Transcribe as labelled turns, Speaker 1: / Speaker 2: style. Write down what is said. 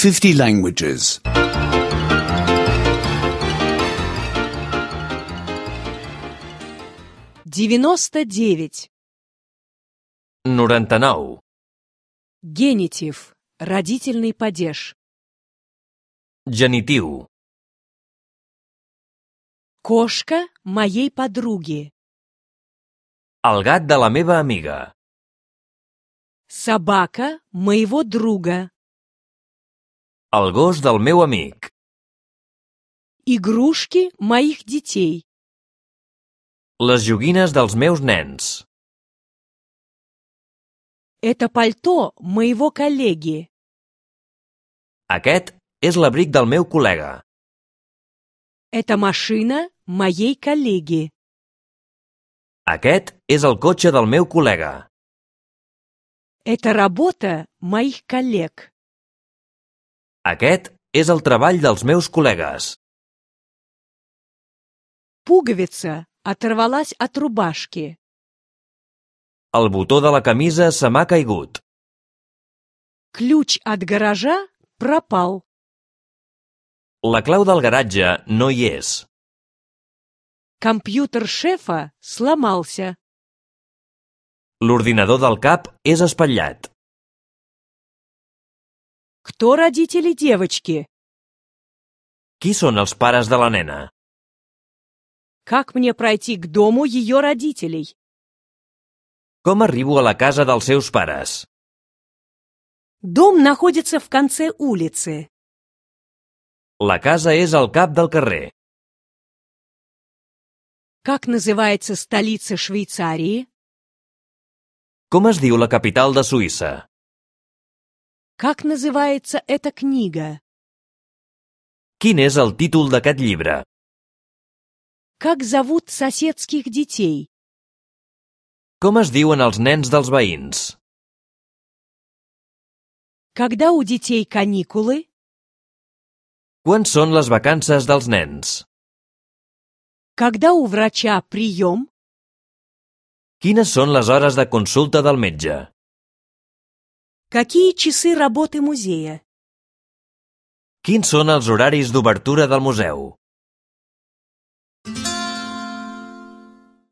Speaker 1: 50 languages.
Speaker 2: 99.
Speaker 3: 99.
Speaker 2: Генитив. Родительный падеж.
Speaker 3: Genitiu.
Speaker 2: Кошка моей подруги.
Speaker 3: El gat de la meva amiga.
Speaker 2: Собака моего друга.
Speaker 3: El gos del meu amic.
Speaker 2: Игрушки моих детей.
Speaker 3: Les joguines dels meus nens.
Speaker 2: Это пальто моего коллеги.
Speaker 3: Aquest és l'abric del meu col·lega.
Speaker 2: Это машина моей коллеги.
Speaker 3: Aquest és el cotxe del meu col·lega.
Speaker 2: Это работа моих коллег.
Speaker 3: Aquest és el treball dels meus col·legues.
Speaker 2: Пуговица оторвалась от рубашки.
Speaker 3: El botó de la camisa se m'ha caigut.
Speaker 2: Ключ от гаража пропал.
Speaker 3: La clau del garatge no hi és.
Speaker 2: Компьютер шефа сломался.
Speaker 3: L'ordinador del cap és espatllat.
Speaker 2: Кто родители девочки?
Speaker 3: Qui són els pares de la nena?
Speaker 2: Как мне пройти к дому ее родителей?
Speaker 3: Com arribo a la casa dels seus pares?
Speaker 2: Дом находится в конце улицы.
Speaker 3: La casa és al cap del carrer.
Speaker 2: Как называется столица Швейцарии?
Speaker 3: Com es diu la capital de Suïssa?
Speaker 2: Как называется эта книга?
Speaker 3: Quin és el títol d'aquest llibre?
Speaker 2: Как зовут соседских детей?
Speaker 3: Com es diuen els nens dels veïns?
Speaker 2: Когда у детей каникулы?
Speaker 3: Quan són les vacances dels nens?
Speaker 2: Когда у врача прием?
Speaker 3: Quines són les hores de consulta del metge?
Speaker 2: Какие часы работы музея?
Speaker 3: Quins són els horaris d'obertura del museu?